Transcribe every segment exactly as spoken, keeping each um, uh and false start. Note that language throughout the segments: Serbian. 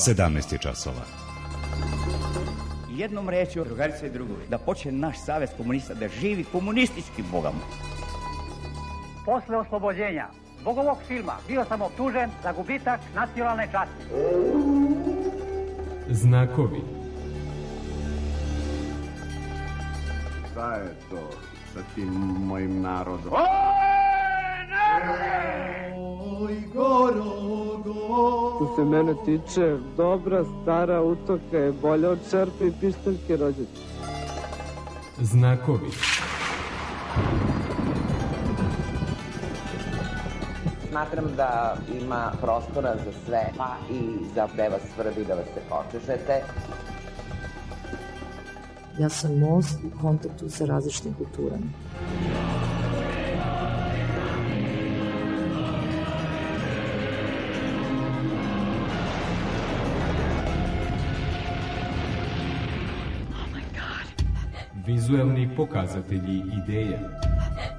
sedamnaest je časova. Jednom rečju, drugarice i drugovi, da počne naš savez komunista da živi komunistički bogom. Posle oslobođenja zbog ovog filma bio sam optužen za gubitak nacionalne časti. Znakovi. Šta je to sa tim mojim narodom? Oj, Gorogo. Što se mene tiče, dobra stara utoka je bolja od čerpe i pištaljke rođaka. Znakovi. Smatram da ima prostora za sve, pa i za gde vas svrbi da vas se počešete. Ja sam most u kontaktu sa različitim kulturama. Vizuelni pokazatelji ideja.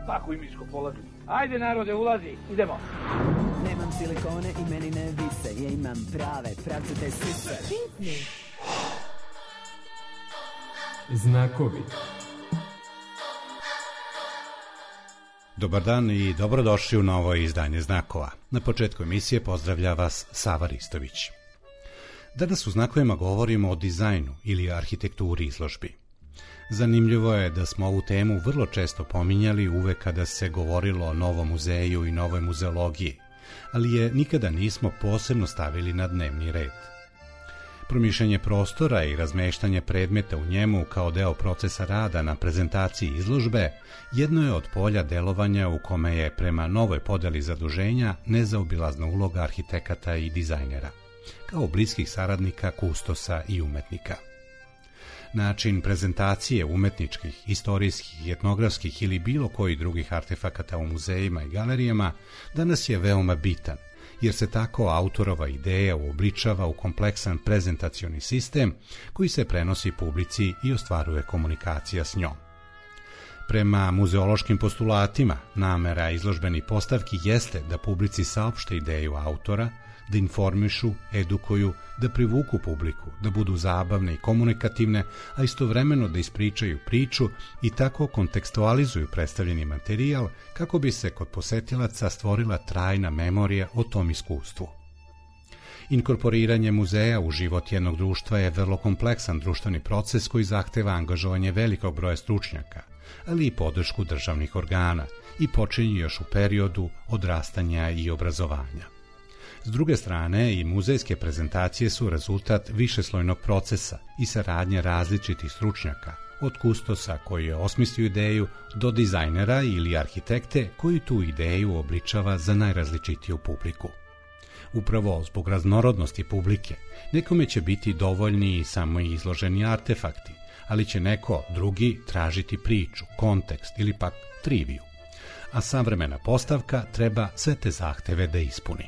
Tako i miško polazi. Ajde narode, ulazi, idemo. Nemam silikone i meni ne vise, ja imam prave, pravcate sise. Znakovi. Dobar dan i dobrodošli u novo izdanje Znakova. Na početku emisije pozdravlja vas Sava Ristović. Danas u Znakovima govorimo o dizajnu ili arhitekturi izložbi. Zanimljivo je da smo ovu temu vrlo često pominjali uvek kada se govorilo o novom muzeju i novoj muzeologiji, ali je nikada nismo posebno stavili na dnevni red. Promišljanje prostora i razmeštanje predmeta u njemu kao deo procesa rada na prezentaciji izložbe jedno je od polja delovanja u kome je prema novoj podeli zaduženja nezaobilazna uloga arhitekata i dizajnera, kao bliskih saradnika, kustosa i umetnika. Način prezentacije umetničkih, istorijskih, etnografskih ili bilo koji drugih artefakata u muzejima i galerijama danas je veoma bitan, jer se tako autorova ideja uobličava u kompleksan prezentacioni sistem koji se prenosi publici i ostvaruje komunikacija s njom. Prema muzeološkim postulatima, namera izložbenih postavki jeste da publici saopšte ideju autora, da informišu, edukuju, da privuku publiku, da budu zabavne i komunikativne, a istovremeno da ispričaju priču i tako kontekstualizuju predstavljeni materijal kako bi se kod posetilaca stvorila trajna memorija o tom iskustvu. Inkorporiranje muzeja u život jednog društva je vrlo kompleksan društveni proces koji zahteva angažovanje velikog broja stručnjaka, ali i podršku državnih organa i počinje još u periodu odrastanja i obrazovanja. S druge strane, i muzejske prezentacije su rezultat višeslojnog procesa i saradnje različitih stručnjaka, od kustosa koji je osmislio ideju do dizajnera ili arhitekte koji tu ideju obličava za najrazličitiju publiku. Upravo zbog raznorodnosti publike, nekome će biti dovoljni i samo izloženi artefakti, ali će neko drugi tražiti priču, kontekst ili pak triviju. A savremena postavka treba sve te zahteve da ispuni.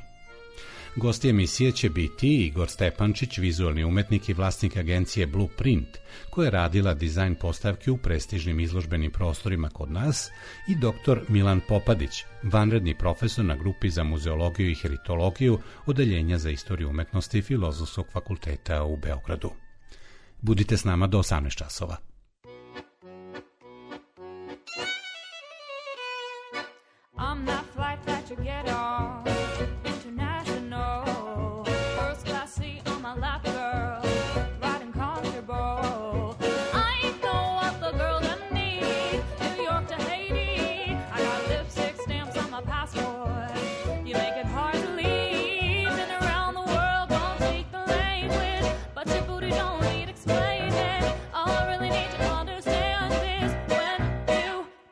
Gosti emisije će biti Igor Stepančić, vizualni umetnik i vlasnik agencije Blueprint, koja je radila dizajn postavki u prestižnim izložbenim prostorima kod nas, i doktor Milan Popadić, vanredni profesor na grupi za muzeologiju i heritologiju Odeljenja za istoriju umetnosti Filozofskog fakulteta u Beogradu. Budite s nama do osamnaest časova. I'm not flight that you get on.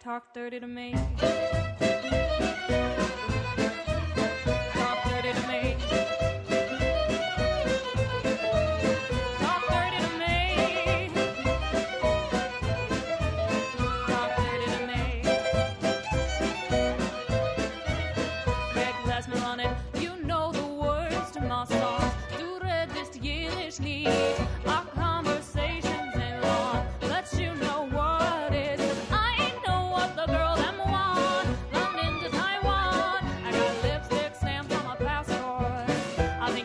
Talk dirty to me. Talk dirty to me. Talk dirty to me. Talk dirty to me. Greg Glassman on it. You know the words to my songs. Du redest jedes Lied. Our conversations ain't long, but you know what it is.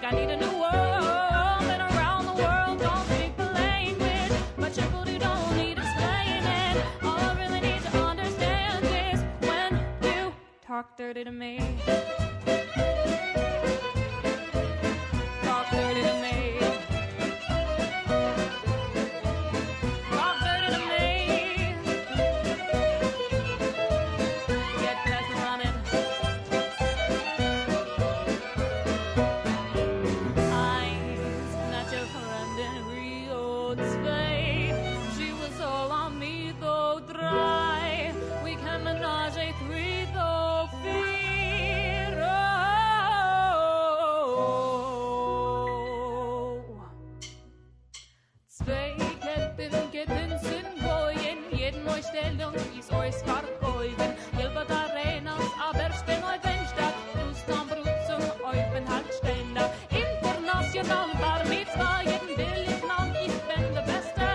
I need a new world. talk dirty to me. Talk dirty to me. Talk dirty to me. Get past me running. Eyes, not your friend in Rio de Spade. She was all on me, though dry. We can menage a three, though feet. Oh. Zwei Ketten, Ketten sind goyen. Jeden Neustellung ist euch verkäufen. Hilbert Arenas, aber stehen euch Fenster. Rustam Brutzum, euch bin halt Ständer. International Bar Mitzvah, jeden will ich Mann, ich bin der Beste.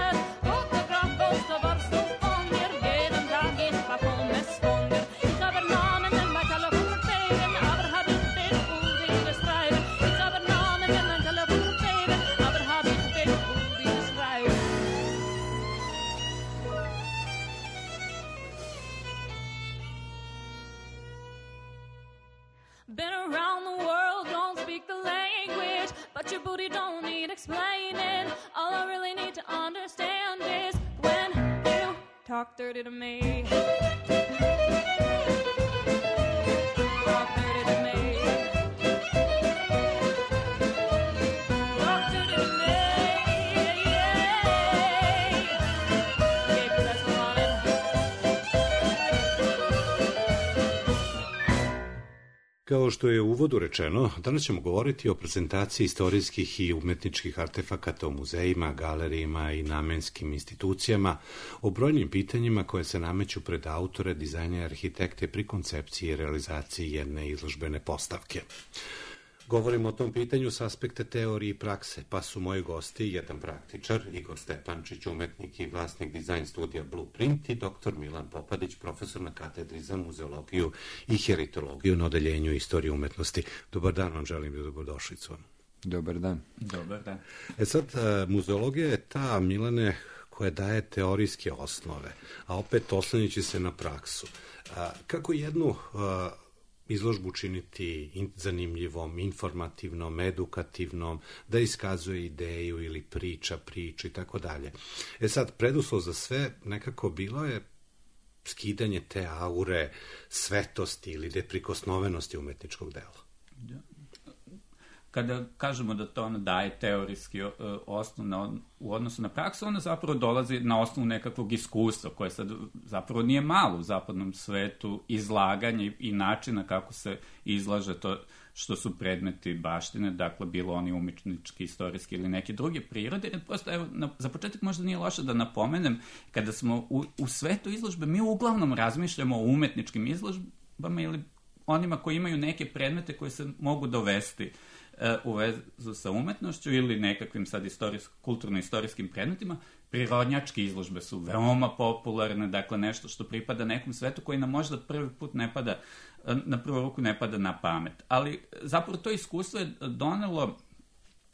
Fotograf, Poster, warst du von mir? Jeden Tag ich bekomme es von dir. Ich habe Namen in mein Telefon stehen, aber hab ich den Udi geschrieben. Ich habe Namen in mein Telefon stehen, aber hab ich den Udi geschrieben. Been around the world, don't speak the language, but your booty don't need explaining. All I really need to understand is when you talk dirty to me. Talk dirty to me. Talk dirty to me. Yeah, 'cause that's what I wanted. Kao što je u uvodu rečeno, danas ćemo govoriti o prezentaciji istorijskih i umetničkih artefakata u muzejima, galerijima i namenskim institucijama, o brojnim pitanjima koje se nameću pred autore, dizajnere, arhitekte pri koncepciji i realizaciji jedne izložbene postavke. Govorimo o tom pitanju s aspekta teorije i prakse, pa su moji gosti jedan praktičar, Igor Stepančić, umetnik i vlasnik dizajn studija Blueprint, i doktor Milan Popadić, profesor na katedri za muzeologiju i heritologiju na odeljenju istorije umetnosti. Dobar dan vam želim i dobrodošlicu. Dobar dan. Dobar dan. E sad, muzeologija je ta, Milane, koja daje teorijske osnove, a opet oslanjajući se na praksu. Kako jednu izložbu učiniti zanimljivom, informativnom, edukativnom, da iskazuje ideju ili priča, priču i tako dalje. E sad, preduslov za sve nekako bilo je skidanje te aure svetosti ili deprikosnovenosti umetničkog dela. Kada kažemo da to ono daje teorijski osnov na, u odnosu na praksu, ono zapravo dolazi na osnovu nekakvog iskustva, koje sad zapravo nije malo u zapadnom svetu, izlaganje i načina kako se izlaže to što su predmeti baštine, dakle bilo oni umetnički, istorijski ili neki drugi prirode. Prosto, evo, na, za početak možda nije loše da napomenem, kada smo u, u svetu izložbe, mi uglavnom razmišljamo o umetničkim izložbama ili onima koji imaju neke predmete koje se mogu dovesti u vezu sa umetnošću ili nekakvim sad kulturno-istorijskim predmetima. Prirodnjačke izložbe su veoma popularne, dakle nešto što pripada nekom svetu koji nam možda prvi put ne pada, na prvu ruku ne pada na pamet. Ali zapravo to iskustvo je donelo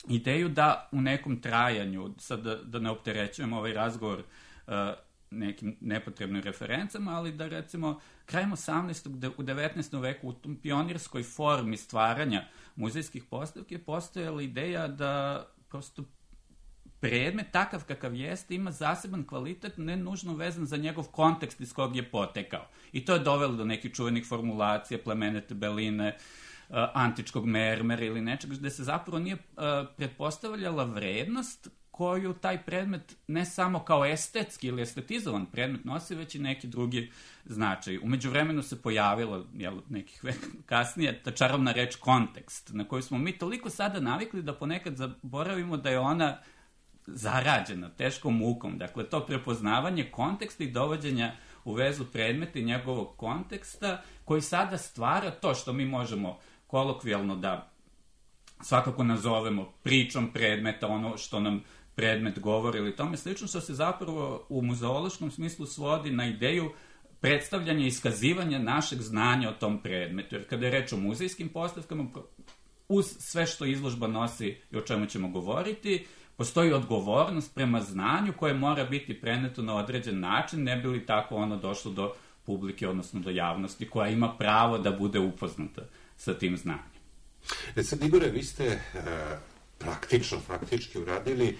ideju da u nekom trajanju, sad da, da ne opterećujem ovaj razgovor uh, nekim nepotrebnim referencama, ali da recimo krajem osamnaestog u devetnaestom veku u tom pionirskoj formi stvaranja muzejskih postavki je postojala ideja da prosto predmet takav kakav jeste ima zaseban kvalitet, ne nužno vezan za njegov kontekst iz kog je potekao. I to je dovelo do nekih čuvenih formulacija, plemenite beline, uh, antičkog mermera ili nečeg, gde se zapravo nije uh, pretpostavljala vrednost koju taj predmet ne samo kao estetski ili estetizovan predmet nosi, već i neki drugi značaj. Umeđu vremenu se pojavila, jel, nekih veka kasnije, ta čarovna reč kontekst, na koju smo mi toliko sada navikli da ponekad zaboravimo da je ona zarađena teškom mukom. Dakle, to prepoznavanje konteksta i dovođenja u vezu predmeta i njegovog konteksta, koji sada stvara to što mi možemo kolokvijalno da svakako nazovemo pričom predmeta, ono što nam predmet govori ili tome slično, što se zapravo u muzeološkom smislu svodi na ideju predstavljanja i iskazivanja našeg znanja o tom predmetu. Jer kada je reč o muzejskim postavkama, uz sve što izložba nosi i o čemu ćemo govoriti, postoji odgovornost prema znanju koje mora biti preneto na određen način, ne bi li tako ono došlo do publike, odnosno do javnosti, koja ima pravo da bude upoznata sa tim znanjem. E sad, Igore, vi ste e, praktično, faktički uradili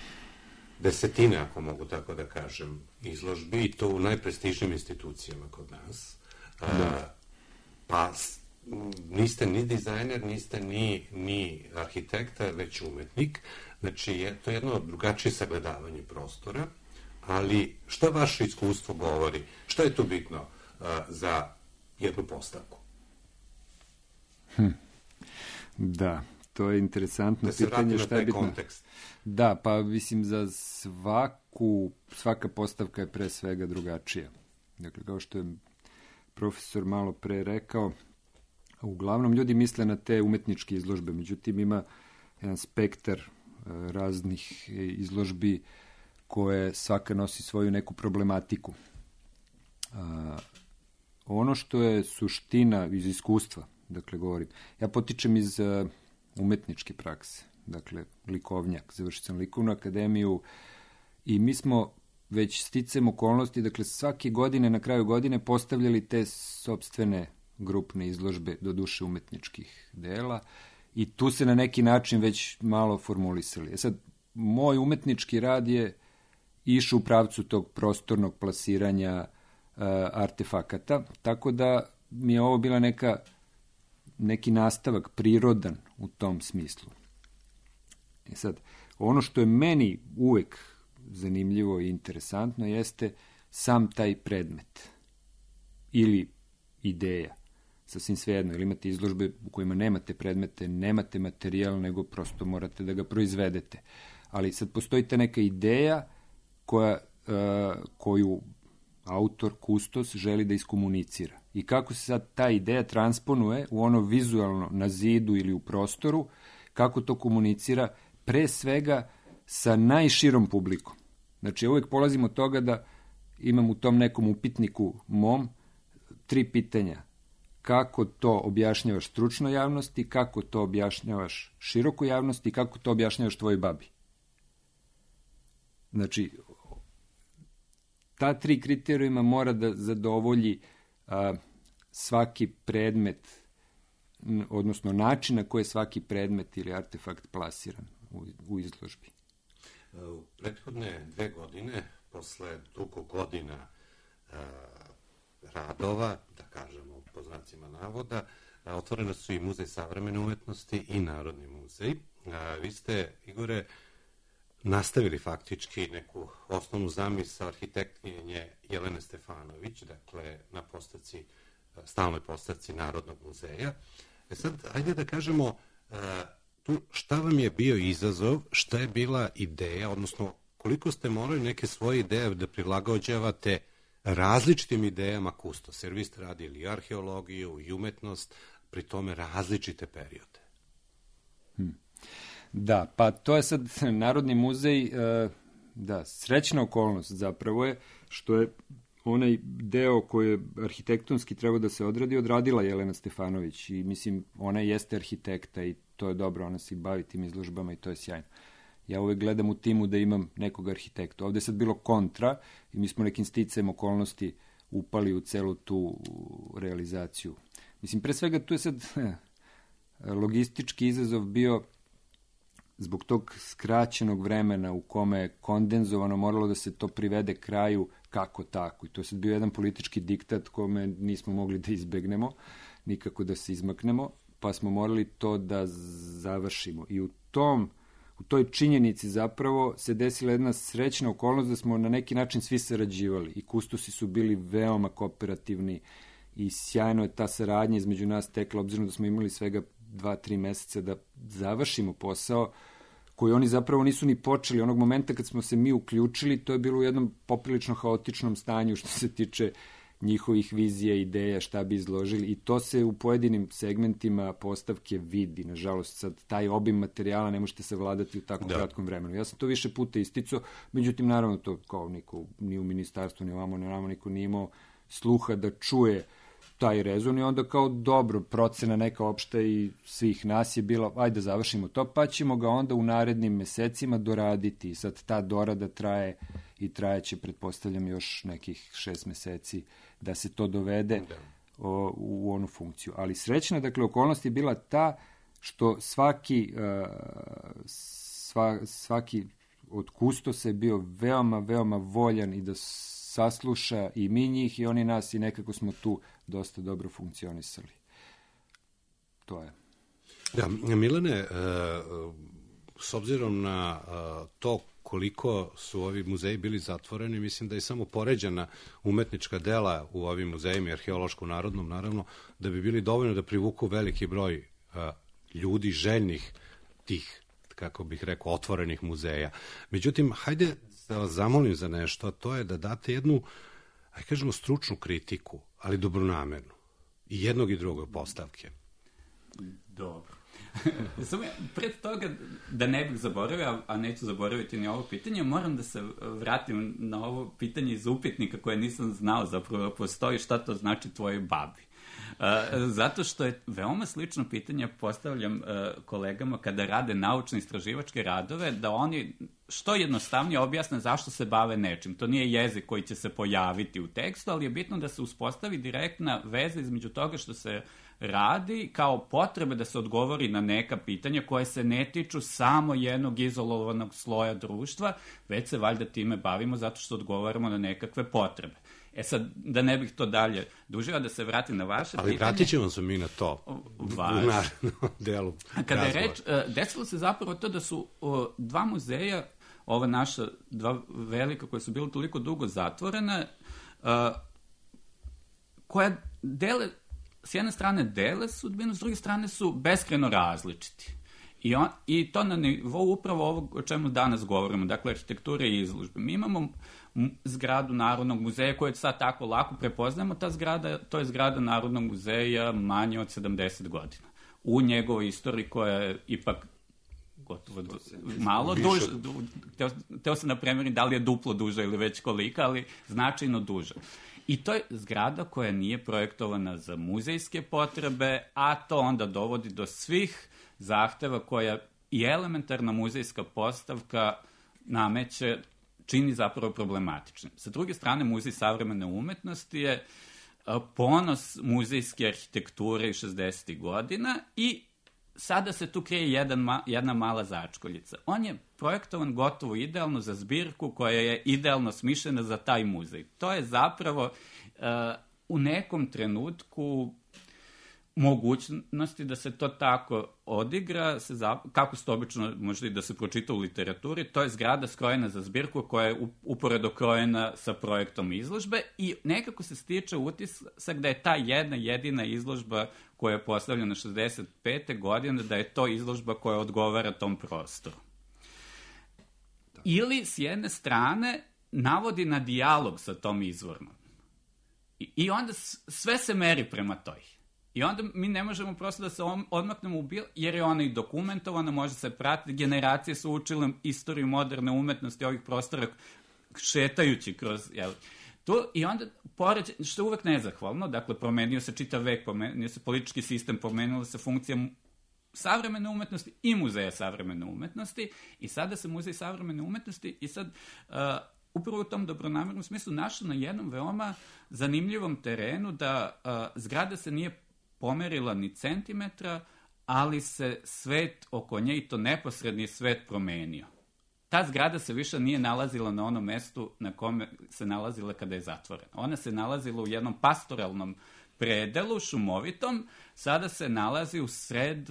desetine, ako mogu tako da kažem, izložbi, i to u najprestižnijim institucijama kod nas. E, pa niste ni dizajner, niste ni, ni arhitekta, već umetnik. Znači, je to jedno drugačije sagledavanje prostora, ali šta vaše iskustvo govori? Šta je tu bitno uh, za jednu postavku? Hm. Da, to je interesantno da pitanje. Šta je bitno? Kontekst. Da, pa mislim za svaku, svaka postavka je pre svega drugačija. Dakle, kao što je profesor malo pre rekao, uglavnom ljudi misle na te umetničke izložbe, međutim ima jedan spektar uh, raznih izložbi koje svaka nosi svoju neku problematiku. A, ono što je suština iz iskustva, dakle govorim, ja potičem iz a, umetničke prakse, dakle likovnjak, završio sam likovnu akademiju i mi smo već sticam okolnosti, dakle svake godine, na kraju godine postavljali te sopstvene grupne izložbe, do duše umetničkih dela, i tu se na neki način već malo formulisali. E sad, moj umetnički rad je išao u pravcu tog prostornog plasiranja uh, artefakata, tako da mi je ovo bila neka, neki nastavak prirodan u tom smislu. I sad, ono što je meni uvek zanimljivo i interesantno jeste sam taj predmet ili ideja. Sasvim svejedno, ili imate izložbe u kojima nemate predmete, nemate materijal, nego prosto morate da ga proizvedete. Ali sad postoji ta neka ideja koja, uh, koju autor, kustos, želi da iskomunicira. I kako se sad ta ideja transponuje u ono vizualno na zidu ili u prostoru, kako to komunicira pre svega sa najširom publikom. Znači, uvek polazim od toga da imam u tom nekom upitniku mom tri pitanja. Kako to objašnjavaš stručnoj javnosti, kako to objašnjavaš širokoj javnosti i kako to objašnjavaš tvojoj babi. Znači, ta tri kriterijuma mora da zadovolji a, svaki predmet, odnosno način na koji je svaki predmet ili artefakt plasiran u, u izložbi. U prethodne dve godine, posle dugo godina a, radova, da kažemo po znacima navoda, a, otvorene su i Muzej savremene umetnosti i Narodni muzej. A, vi ste, Igore, nastavili faktički neku osnovnu zamisao arhitektkinje Jelene Stefanović, dakle na postavci, stalnoj postavci Narodnog muzeja. E sad, ajde da kažemo tu šta vam je bio izazov, šta je bila ideja, odnosno koliko ste morali neke svoje ideje da prilagođavate različitim idejama kustos, jer vi ste radili i arheologiju i umetnost, pri tome različite periode. Hmm. Da, pa to je sad Narodni muzej, da, srećna okolnost zapravo je što je onaj deo koji je arhitektonski trebao da se odradi, odradila Jelena Stefanović i mislim, ona jeste arhitekta i to je dobro, ona se bavi tim izložbama i to je sjajno. Ja uvek gledam u timu da imam nekog arhitekta. Ovde je sad bilo kontra i mi smo nekim sticajem okolnosti upali u celu tu realizaciju. Mislim, pre svega tu je sad logistički izazov bio zbog tog skraćenog vremena u kome je kondenzovano moralo da se to privede kraju kako tako. I to je sad bio jedan politički diktat kome nismo mogli da izbegnemo, nikako da se izmaknemo, pa smo morali to da završimo. I u tom, u toj činjenici zapravo se desila jedna srećna okolnost da smo na neki način svi sarađivali i kustosi su bili veoma kooperativni i sjajno je ta saradnja između nas tekla, obzirom da smo imali svega dva, tri meseca da završimo posao koji oni zapravo nisu ni počeli. Onog momenta kad smo se mi uključili, to je bilo u jednom poprilično haotičnom stanju što se tiče njihovih vizija, ideja, šta bi izložili i to se u pojedinim segmentima postavke vidi. Nažalost, sad taj obim materijala ne možete savladati u tako da. kratkom vremenu. Ja sam to više puta isticao, međutim, naravno, to kao niko, ni u ministarstvu, ni ovamo, ni ovamo, niko nije imao sluha da čuje taj rezon i onda kao dobro, procena neka opšta i svih nas je bila, ajde da završimo to, pa ćemo ga onda u narednim mesecima doraditi. Sad ta dorada traje i trajeće, pretpostavljam, još nekih šest meseci da se to dovede o, u onu funkciju. Ali srećna, dakle, okolnost je bila ta što svaki, uh, sva, svaki od kustosa je bio veoma, veoma voljan i da sasluša i mi njih i oni nas i nekako smo tu dosta dobro funkcionisali. To je. Da, Milane, s obzirom na to koliko su ovi muzeji bili zatvoreni, mislim da je samo poređana umetnička dela u ovim muzejima i arheološkom narodnom, naravno, da bi bili dovoljno da privuku veliki broj ljudi željnih tih, kako bih rekao, otvorenih muzeja. Međutim, hajde da vas zamolim za nešto, a to je da date jednu, aj kažemo, stručnu kritiku, ali dobronamernu. I jednog i drugog postavke. Dobro. Samo ja, pred toga, da ne bih zaboravio, a neću zaboraviti ni ovo pitanje, moram da se vratim na ovo pitanje iz upitnika koje nisam znao zapravo postoji, šta to znači tvojoj babi. Uh, zato što je veoma slično pitanje postavljam uh, kolegama kada rade naučno-istraživačke radove, da oni što jednostavnije objasne zašto se bave nečim. To nije jezik koji će se pojaviti u tekstu, ali je bitno da se uspostavi direktna veza između toga što se radi kao potrebe da se odgovori na neka pitanja koje se ne tiču samo jednog izolovanog sloja društva, već se valjda time bavimo zato što odgovaramo na nekakve potrebe. E sad, da ne bih to dalje dužio, da se vratim na vaše ali pitanje. Ali vratit ćemo se mi na to Vaš. u narednom delu Kada je razgovora. reč, desilo se zapravo to da su o, dva muzeja, ova naša dva velika koja su bila toliko dugo zatvorena, a, koja dele, s jedne strane dele sudbinu, s druge strane su beskrajno različiti. I, on, I to na nivou upravo ovog o čemu danas govorimo, dakle arhitekture i izložbe. Mi imamo zgradu Narodnog muzeja koju sad tako lako prepoznajemo, ta zgrada, to je zgrada Narodnog muzeja manje od sedamdeset godina. U njegovoj istoriji koja je ipak gotovo du, malo duže, du, teo, teo sam na premjeri da li je duplo duža ili već kolika, ali značajno duža. I to je zgrada koja nije projektovana za muzejske potrebe, a to onda dovodi do svih zahteva koja i elementarna muzejska postavka nameće, čini zapravo problematičnim. Sa druge strane, Muzej savremene umetnosti je ponos muzejske arhitekture iz šezdesetih godina i sada se tu krije jedan, jedna mala začkoljica. On je projektovan gotovo idealno za zbirku koja je idealno smišljena za taj muzej. To je zapravo uh, u nekom trenutku mogućnosti da se to tako odigra, se za, kako se to obično može i da se pročita u literaturi, to je zgrada skrojena za zbirku koja je uporedo krojena sa projektom izložbe i nekako se stiče utisak da je ta jedna jedina izložba koja je postavljena šezdeset pete godine, da je to izložba koja odgovara tom prostoru. Ili, s jedne strane, navodi na dijalog sa tom izvornom. I, i onda sve se meri prema toj. I onda mi ne možemo prosto da se odmaknemo u bil, jer je ona i dokumentovana, može se pratiti, generacije su učile istoriju moderne umetnosti ovih prostora šetajući kroz, jel, tu, i onda, pored, što je uvek nezahvalno, dakle, promenio se čitav vek, promenio se politički sistem, promenila se funkcija savremene umetnosti i muzeja savremene umetnosti, i sada se muzej savremene umetnosti, i sad, uh, upravo u tom dobronamernom smislu, našao na jednom veoma zanimljivom terenu da uh, zgrada se nije pomerila ni centimetra, ali se svet oko nje, i to neposredni svet, promenio. Ta zgrada se više nije nalazila na onom mestu na kome se nalazila kada je zatvorena. Ona se nalazila u jednom pastoralnom predelu, šumovitom, sada se nalazi u sred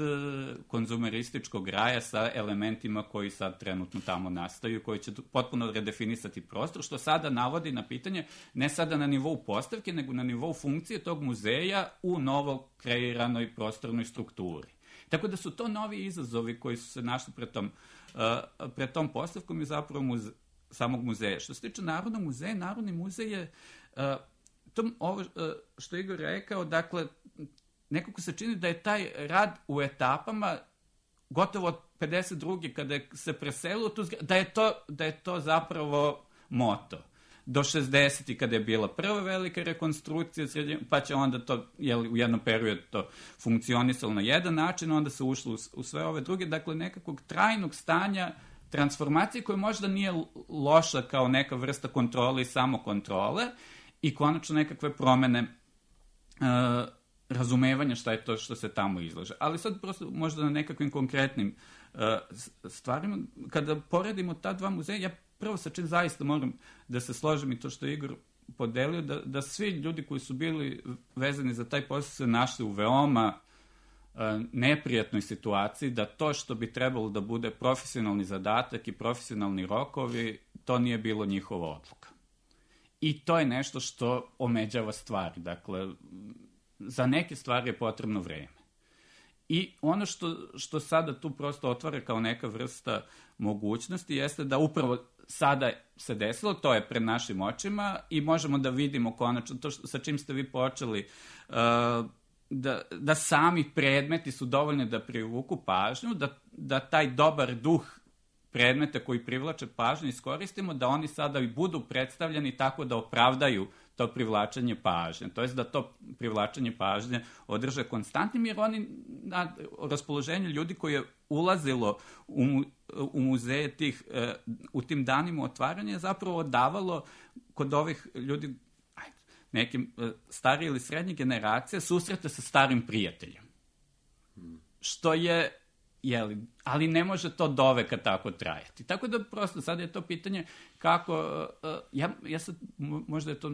konzumerističkog raja sa elementima koji sad trenutno tamo nastaju, koji će potpuno redefinisati prostor, što sada navodi na pitanje ne sada na nivou postavke, nego na nivou funkcije tog muzeja u novo kreiranoj prostornoj strukturi. Tako da su to novi izazovi koji su se našli pred tom, uh, pred tom postavkom i zapravo muze, samog muzeja. Što se tiče Narodnog muzeja, Narodni muzej je uh, to, ovo uh, što je Igor rekao, dakle, nekako se čini da je taj rad u etapama gotovo od pedeset druge kada se preselilo tu zgradu, da je to, da je to zapravo moto. Do šezdesetih kada je bila prva velika rekonstrukcija, pa će onda to, jel, u jednom periodu to funkcionisalo na jedan način, onda se ušlo u, u sve ove druge, dakle nekakvog trajnog stanja transformacije koja možda nije loša kao neka vrsta kontrole i samokontrole i konačno nekakve promene uh, razumevanja šta je to što se tamo izlaže. Ali sad prosto možda na nekakvim konkretnim uh, stvarima, kada poredimo ta dva muzeja, ja prvo sa čim zaista moram da se složim i to što je Igor podelio, da, da svi ljudi koji su bili vezani za taj posao se našli u veoma uh, neprijatnoj situaciji, da to što bi trebalo da bude profesionalni zadatak i profesionalni rokovi, to nije bilo njihova odluka. I to je nešto što omeđava stvari. Dakle, za neke stvari je potrebno vreme. I ono što, što sada tu prosto otvara kao neka vrsta mogućnosti jeste da upravo sada se desilo, to je pred našim očima i možemo da vidimo konačno to što, sa čim ste vi počeli, uh, da, da sami predmeti su dovoljni da privuku pažnju, da, da taj dobar duh predmeta koji privlače pažnju iskoristimo, da oni sada i budu predstavljeni tako da opravdaju to privlačenje pažnje. To jest da to privlačenje pažnje održe konstantnim, jer oni na raspoloženju ljudi koji je ulazilo u, u muzeje tih, u tim danima otvaranja je zapravo davalo kod ovih ljudi, ajde, nekim starije ili srednje generacije, susrete sa starim prijateljem. Što je Jeli, ali ne može to do veka tako trajati. Tako da prosto sad je to pitanje kako, uh, ja, ja sad, možda je to,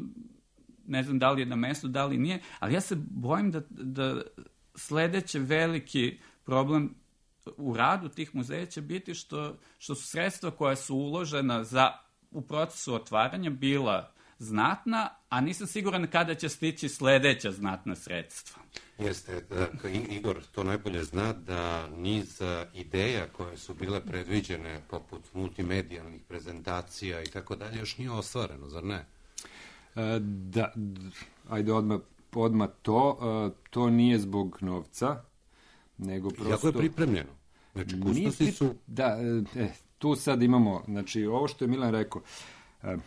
ne znam da li je na mestu, da li nije, ali ja se bojim da, da sledeći veliki problem u radu tih muzeja će biti što, što su sredstva koja su uložena za, u procesu otvaranja bila znatna, a nisam siguran kada će stići sledeća znatna sredstva. Jeste, da, Igor to najbolje zna da niz ideja koje su bile predviđene poput multimedijalnih prezentacija i tako dalje još nije ostvareno, zar ne? E, da, ajde odmah, odmah to, e, to nije zbog novca, nego prosto... Jako je pripremljeno. Znači, kustosi su... Da, e, tu sad imamo, znači, ovo što je Milan rekao, e,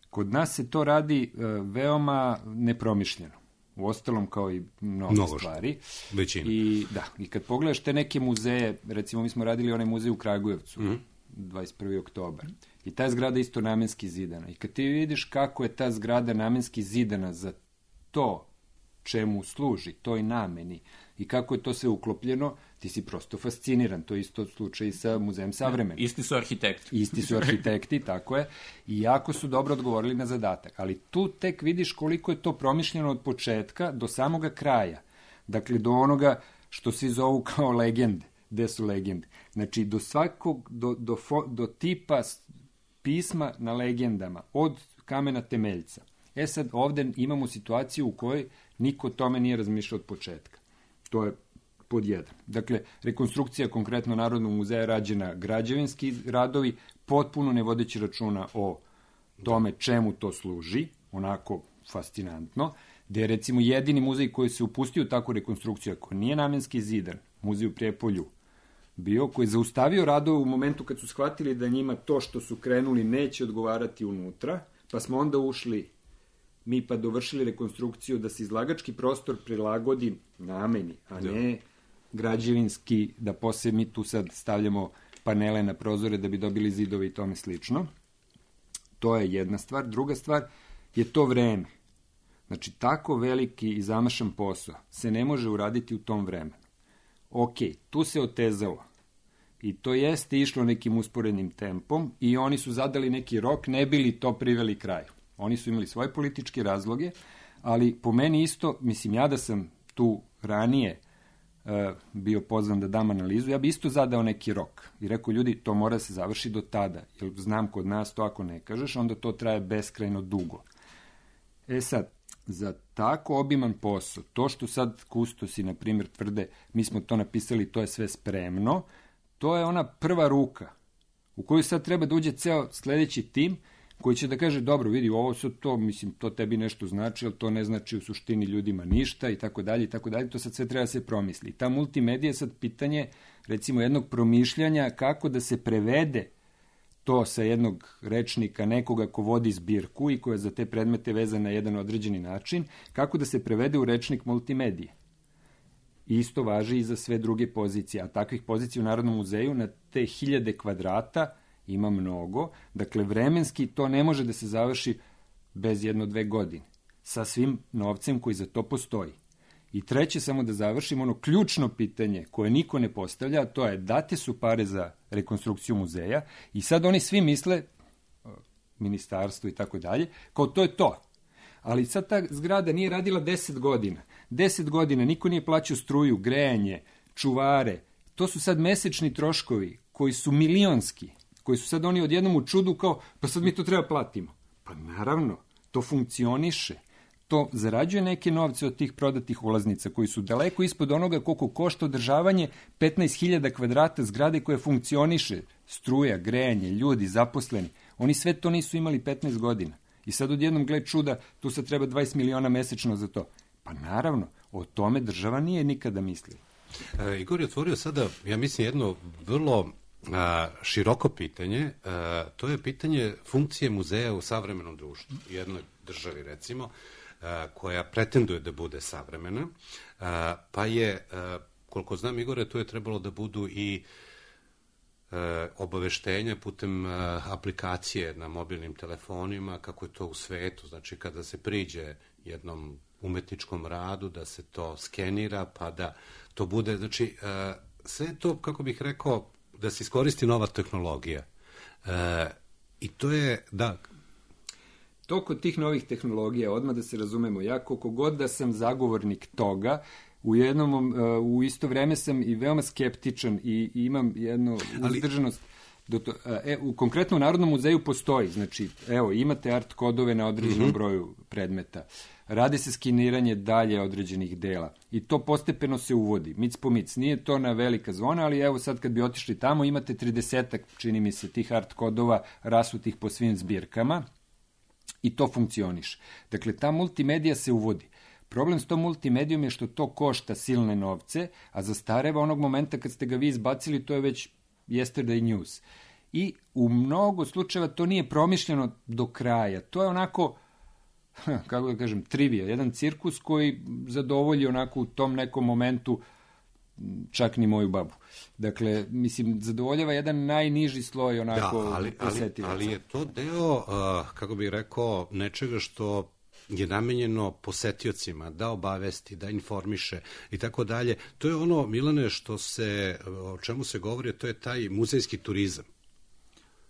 kod nas se to radi e, veoma nepromišljeno. U ostalom kao i mnogo, mnogo stvari. Većina. I, da, I kad pogledaš te neke muzeje, recimo mi smo radili onaj muzej u Kragujevcu, mm-hmm. dvadeset prvi oktobar. I ta zgrada isto namenski zidana. I kad ti vidiš kako je ta zgrada namenski zidana za to čemu služi, toj nameni, i kako je to sve uklopljeno, ti si prosto fasciniran. To je isto slučaj sa Muzejem savremena. Isti su arhitekti. Isti su arhitekti, tako je. I jako su dobro odgovorili na zadatak. Ali tu tek vidiš koliko je to promišljeno od početka do samoga kraja. Dakle, do onoga što svi zovu kao legende. Gde su legende? Znači, do svakog, do, do, fo, do tipa pisma na legendama, od kamena temeljca. E sad, ovde imamo situaciju u kojoj niko o tome nije razmišljao od početka. To je pod jedan. Dakle, rekonstrukcija konkretno Narodnog muzeja rađena građevinski radovi, potpuno ne vodeći računa o tome čemu to služi, onako fascinantno, gde je recimo jedini muzej koji se upustio u takvu rekonstrukciju, ako nije namenski zidan, muzej u Prijepolju, bio, koji je zaustavio radove u momentu kad su shvatili da njima to što su krenuli neće odgovarati unutra, pa smo onda ušli mi pa dovršili rekonstrukciju da se izlagački prostor prilagodi nameni, a ne građevinski, da posle mi tu sad stavljamo panele na prozore da bi dobili zidove i tome slično. To je jedna stvar. Druga stvar je to vreme. Znači, tako veliki i zamašan posao se ne može uraditi u tom vremenu. Ok, tu se otezalo. I to jeste išlo nekim usporednim tempom i oni su zadali neki rok, ne bili to priveli kraju. Oni su imali svoje političke razloge, ali po meni isto, mislim, ja da sam tu ranije e, bio pozvan da dam analizu, ja bi isto zadao neki rok i rekao, ljudi, to mora da se završi do tada, jer znam kod nas to ako ne kažeš, onda to traje beskrajno dugo. E sad, za tako obiman posao, to što sad kustosi, na primjer, tvrde, mi smo to napisali, to je sve spremno, to je ona prva ruka u koju sad treba da uđe ceo sledeći tim koji će da kaže, dobro, vidi, ovo su to, mislim, to tebi nešto znači, ali to ne znači u suštini ljudima ništa i tako dalje i tako dalje, to sad sve treba da se promisli. Ta multimedija je sad pitanje, recimo, jednog promišljanja kako da se prevede to sa jednog rečnika, nekoga ko vodi zbirku i koja je za te predmete vezana na jedan određeni način, kako da se prevede u rečnik multimedije. Isto važi i za sve druge pozicije, a takvih pozicija u Narodnom muzeju na te hiljade kvadrata ima mnogo, dakle vremenski to ne može da se završi bez jedno dve godine, sa svim novcem koji za to postoji. I treće, samo da završim, ono ključno pitanje koje niko ne postavlja, to je date su pare za rekonstrukciju muzeja i sad oni svi misle, ministarstvo i tako dalje, kao to je to. Ali sad ta zgrada nije radila deset godina. Deset godina niko nije plaćao struju, grejanje, čuvare. To su sad mesečni troškovi koji su milionski, koji su sad oni odjednom u čudu kao, pa sad mi to treba platimo. Pa naravno, to funkcioniše. To zarađuje neke novce od tih prodatih ulaznica koji su daleko ispod onoga koliko košta održavanje petnaest hiljada kvadrata zgrade koje funkcioniše. Struja, grejanje, ljudi, zaposleni. Oni sve to nisu imali petnaest godina. I sad odjednom, gled čuda, tu sad treba dvadeset miliona mesečno za to. Pa naravno, o tome država nije nikada mislila. E, Igor je otvorio sada, ja mislim, jedno vrlo a, široko pitanje. A, to je pitanje funkcije muzeja u savremenom društvu. Jednoj državi, recimo, a, koja pretenduje da bude savremena, a, pa je, a, koliko znam, Igore, tu je trebalo da budu i E, obaveštenja putem e, aplikacije na mobilnim telefonima, kako je to u svetu, znači kada se priđe jednom umetničkom radu, da se to skenira, pa da to bude, znači e, sve to, kako bih rekao, da se iskoristi nova tehnologija. E, I to je, da... To kod tih novih tehnologija, odmah da se razumemo, ja koliko god da sam zagovornik toga, u jednom, u isto vreme sam i veoma skeptičan i, i imam jednu uzdržanost. Do to, e, u konkretno u Narodnom muzeju postoji, znači, evo, imate art kodove na određenom mm-hmm. broju predmeta, radi se skeniranje dalje određenih dela i to postepeno se uvodi, mic po mic, nije to na velika zvona, ali evo sad kad bi otišli tamo, imate tridesetak, čini mi se, tih art kodova rasutih po svim zbirkama i to funkcioniše. Dakle, ta multimedija se uvodi. Problem s tom multimedijom je što to košta silne novce, a zastareva onog momenta kad ste ga vi izbacili, to je već yesterday news. I u mnogo slučajeva to nije promišljeno do kraja. To je onako, kako da kažem, trivija, jedan cirkus koji zadovolji onako u tom nekom momentu čak ni moju babu. Dakle, mislim, zadovoljava jedan najniži sloj onako da, ali, ali, ali je to deo, uh, kako bih rekao, nečega što je namenjeno posetiocima, da obavesti, da informiše i tako dalje. To je ono, Milane, što se, o čemu se govori, to je taj muzejski turizam.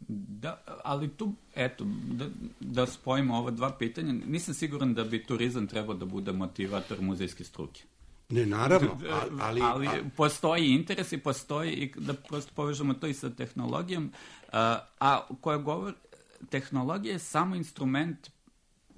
Da, ali tu, eto, da, da spojimo ova dva pitanja, nisam siguran da bi turizam trebao da bude motivator muzejske struke. Ne, naravno, ali... Ali postoji interes i postoji, i da prosto povežemo to i sa tehnologijom, a, a koja govori, tehnologija je samo instrument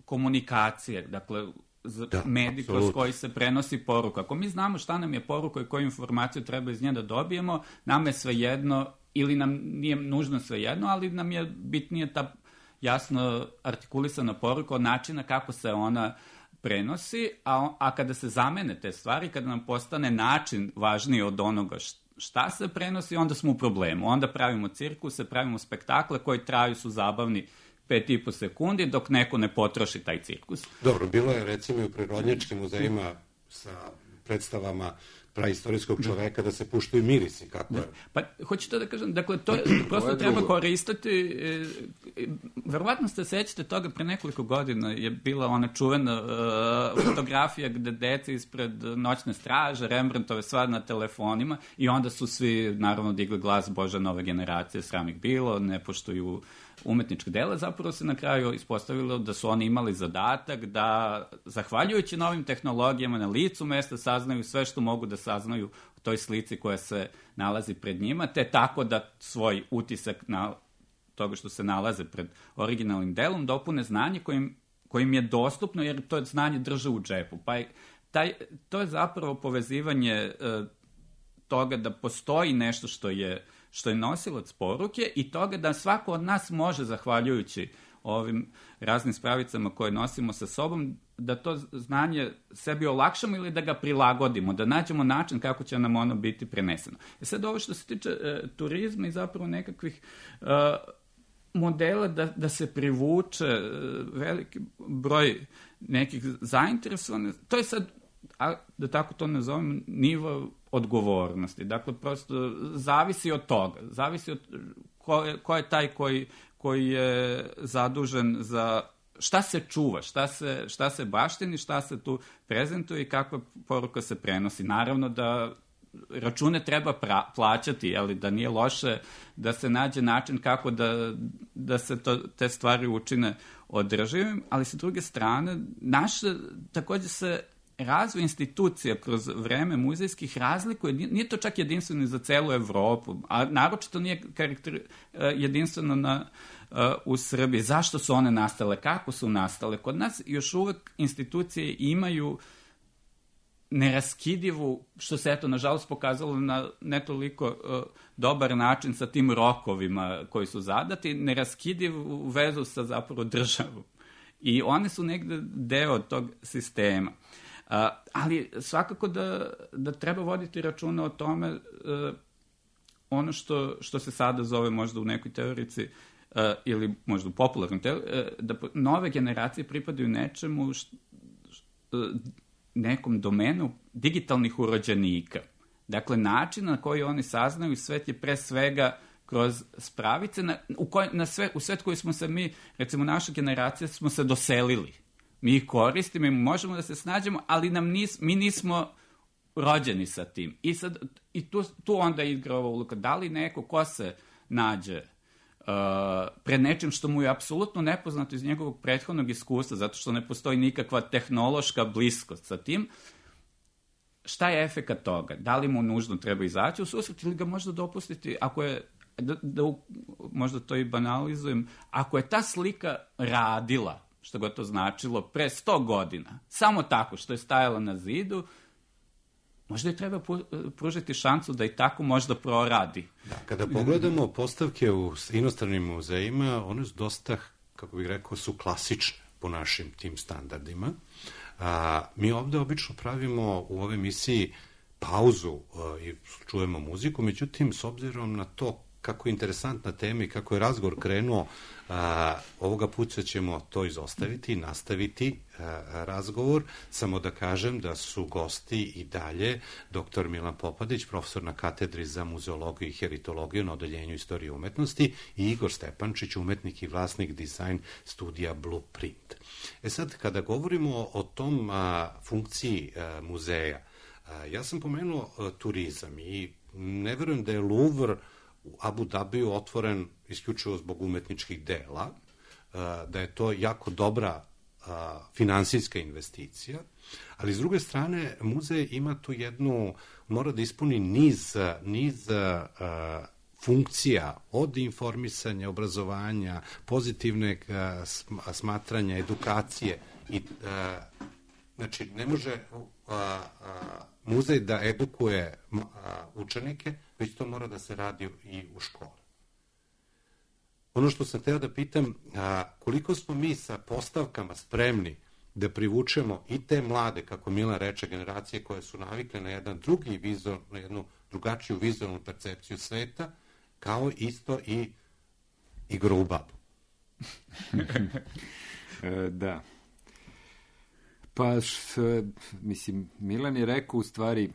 komunikacije, dakle, da, medij kroz koji se prenosi poruka. Ako mi znamo šta nam je poruka i koju informaciju treba iz nje da dobijemo, nam je svejedno, ili nam nije nužno svejedno, ali nam je bitnije ta jasno artikulisana poruka od načina kako se ona prenosi, a, a kada se zamene te stvari, kada nam postane način važniji od onoga šta se prenosi, onda smo u problemu. Onda pravimo cirkuse, pravimo spektakle koji traju, su zabavni pet i po sekundi, dok neko ne potroši taj cirkus. Dobro, bilo je recimo i u prirodnjačkim muzejima sa predstavama praistorijskog čoveka da se puštaju mirisi, kako je. Pa, hoću to da kažem, dakle, to je, prosto treba koristiti, e, e, verovatno se sećate toga, pre nekoliko godina je bila ona čuvena e, fotografija gde deca ispred noćne straže, Rembrandtove sva na telefonima i onda su svi, naravno, digli glas, Bože, nove generacije, sram ih bilo, ne poštuju umetničke dela, zapravo se na kraju ispostavilo da su oni imali zadatak da, zahvaljujući novim tehnologijama, na licu mesta saznaju sve što mogu da saznaju o toj slici koja se nalazi pred njima, te tako da svoj utisak na toga što se nalaze pred originalnim delom dopune znanje kojim, kojim je dostupno, jer to znanje drže u džepu. Pa je, taj, to je zapravo povezivanje e, toga da postoji nešto što je što je nosilac poruke i toga da svako od nas može, zahvaljujući ovim raznim spravicama koje nosimo sa sobom, da to znanje sebi olakšamo ili da ga prilagodimo, da nađemo način kako će nam ono biti preneseno. E sad ovo što se tiče e, turizma i zapravo nekakvih e, modela da, da se privuče e, veliki broj nekih zainteresovanih, to je sad a da tako to nazovem, nivo odgovornosti. Dakle, prosto zavisi od toga. Zavisi od ko je, ko je taj koji, koji je zadužen za šta se čuva, šta se, šta se baštini, šta se tu prezentuje i kakva poruka se prenosi. Naravno da račune treba pra, plaćati, ali da nije loše da se nađe način kako da, da se to, te stvari učine održivim, ali sa druge strane, naše, također se razvoj institucija kroz vreme muzejskih razlikuje, nije to čak jedinstveno za celu Evropu, a naročito nije karakter, jedinstveno na, u Srbiji. Zašto su one nastale? Kako su nastale? Kod nas još uvek institucije imaju neraskidivu, što se eto nažalost pokazalo na ne toliko uh, dobar način sa tim rokovima koji su zadati, neraskidivu vezu sa zapravo državom. I one su negde deo tog sistema. Uh, ali svakako da, da treba voditi računa o tome uh, ono što, što se sada zove možda u nekoj teorici uh, ili možda u popularnoj teoriji, uh, da nove generacije pripadaju nečemu što, uh, nekom domenu digitalnih urođenika. Dakle, način na koji oni saznaju svet je pre svega kroz spravice na, u, koj, na sve, u svet koji smo se mi, recimo naša generacija, smo se doselili. Mi ih koristimo i možemo da se snađemo, ali nam nis, mi nismo rođeni sa tim. I, sad, i tu, tu onda igra ova uloga. Da li neko ko se nađe Uh, pred nečim što mu je apsolutno nepoznato iz njegovog prethodnog iskustva, zato što ne postoji nikakva tehnološka bliskost sa tim, šta je efekat toga? Da li mu nužno treba izaći u susret ili ga možda dopustiti, ako je, da, da možda to i banalizujem, ako je ta slika radila, što ga to značilo, pre sto godina, samo tako što je stajala na zidu, možda je treba pružiti šansu da i tako možda proradi. Da, kada pogledamo postavke u inostranim muzejima, one su dosta, kako bih rekao, su klasične po našim tim standardima. A, mi ovde obično pravimo u ovoj emisiji pauzu a, i čujemo muziku, međutim, s obzirom na to kako je interesantna tema i kako je razgovor krenuo, a, ovoga puta ćemo to izostaviti i nastaviti a, razgovor. Samo da kažem da su gosti i dalje doktor Milan Popadić, profesor na katedri za muzeologiju i heritologiju na odeljenju istorije umetnosti, i Igor Stepančić, umetnik i vlasnik dizajn studija Blueprint. E sad, kada govorimo o tom a, funkciji a, muzeja, a, ja sam pomenuo a, turizam i ne verujem da je Louvre u Abu Dhabiju otvoren isključivo zbog umetničkih dela, da je to jako dobra finansijska investicija, ali s druge strane muzej ima tu jednu, mora da ispuni niz, niz funkcija od informisanja, obrazovanja, pozitivnog smatranja, edukacije i znači ne može muzej da edukuje učenike, već to mora da se radi i u školi. Ono što sam hteo da pitam, koliko smo mi sa postavkama spremni da privučemo i te mlade, kako Milan reče, generacije koje su navikle na jedan drugi vizor, na jednu drugačiju vizualnu percepciju sveta, kao isto i igru u babu. Da. Pa, š, mislim, Milan je rekao u stvari,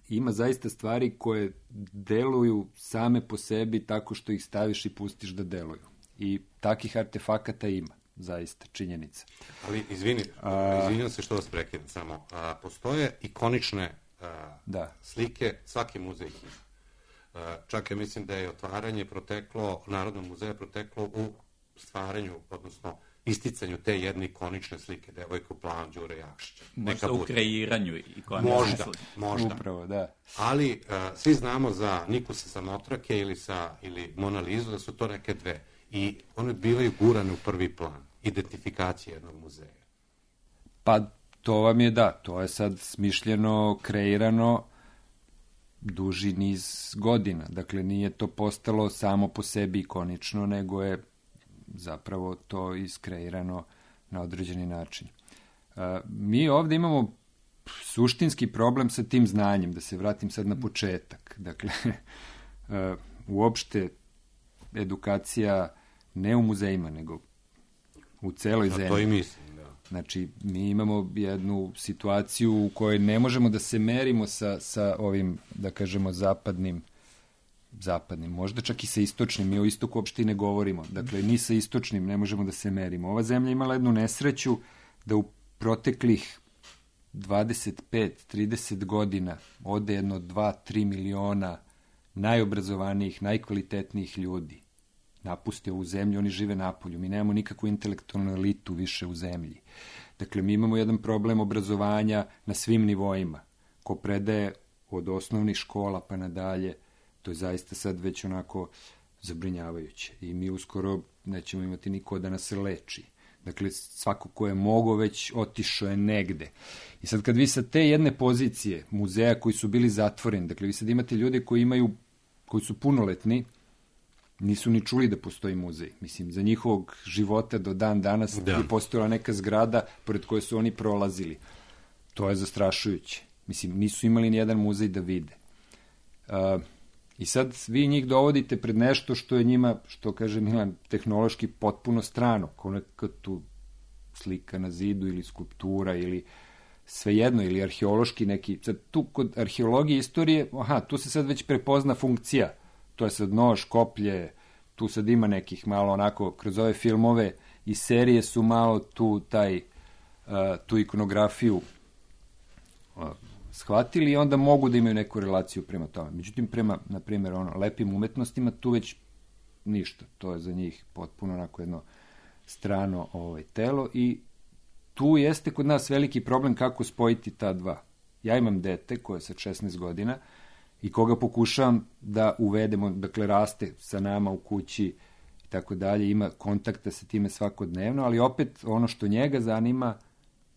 ima zaista stvari koje deluju same po sebi tako što ih staviš i pustiš da deluju. I takih artefakata ima, zaista, činjenica. Ali, izvini, a, izvinjam se što vas prekidam samo. A, postoje ikonične a, da. slike, svaki muzej ih ima. A, čak ja mislim da je otvaranje proteklo, Narodnog muzeja proteklo u stvaranju, odnosno isticanju te jedne ikonične slike, devojka u plavom Đure Jakšića. Možda u kreiranju ikonične možda, slike. Možda, Upravo, da. Ali uh, svi znamo za Nikusa Samotrake ili, sa, ili Mona Lizu da su to neke dve. I one bivaju gurane u prvi plan. Identifikacija jednog muzeja. Pa to vam je da, to je sad smišljeno, kreirano duži niz godina. Dakle, nije to postalo samo po sebi ikonično, nego je zapravo to iskreirano na određeni način. Uh, mi ovde imamo suštinski problem sa tim znanjem, da se vratim sad na početak. Dakle, uh, uopšte edukacija ne u muzejima, nego u celoj da, zemlji. To i mislim, da. Znači, mi imamo jednu situaciju u kojoj ne možemo da se merimo sa, sa ovim, da kažemo, zapadnim, zapadnim, možda čak i sa istočnim, mi o istoku uopšte i ne govorimo. Dakle, ni sa istočnim ne možemo da se merimo. Ova zemlja imala jednu nesreću da u proteklih dvadeset pet trideset godina ode jedno dva do tri miliona najobrazovanijih, najkvalitetnijih ljudi. Napuste ovu zemlju, oni žive napolju. Mi nemamo nikakvu intelektualnu elitu više u zemlji. Dakle, mi imamo jedan problem obrazovanja na svim nivoima. Ko predaje od osnovnih škola pa nadalje, to je zaista sad već onako zabrinjavajuće. I mi uskoro nećemo imati niko da nas leči. Dakle, svako ko je mogo već otišao je negde. I sad kad vi sa te jedne pozicije muzeja koji su bili zatvoreni, dakle, vi sad imate ljude koji imaju, koji su punoletni, nisu ni čuli da postoji muzej. Mislim, za njihovog života do dan danas da. je postojala neka zgrada pored koje su oni prolazili. To je zastrašujuće. Mislim, nisu imali ni jedan muzej da vide. Uh, I sad vi njih dovodite pred nešto što je njima, što kaže Milan, tehnološki potpuno strano, kao neka tu slika na zidu ili skulptura ili svejedno, ili arheološki neki. Sad tu kod arheologije istorije, aha, tu se sad već prepozna funkcija. To je sad nož, koplje, tu sad ima nekih malo onako, kroz ove filmove i serije su malo tu taj, uh, tu ikonografiju uh, shvatili i onda mogu da imaju neku relaciju prema tome. Međutim, prema, na primjer, ono, lepim umetnostima, tu već ništa. To je za njih potpuno onako jedno strano ovaj, telo i tu jeste kod nas veliki problem kako spojiti ta dva. Ja imam dete koje je sa šesnaest godina i koga pokušavam da uvedemo, dakle, raste sa nama u kući i tako dalje, ima kontakta sa time svakodnevno, ali opet ono što njega zanima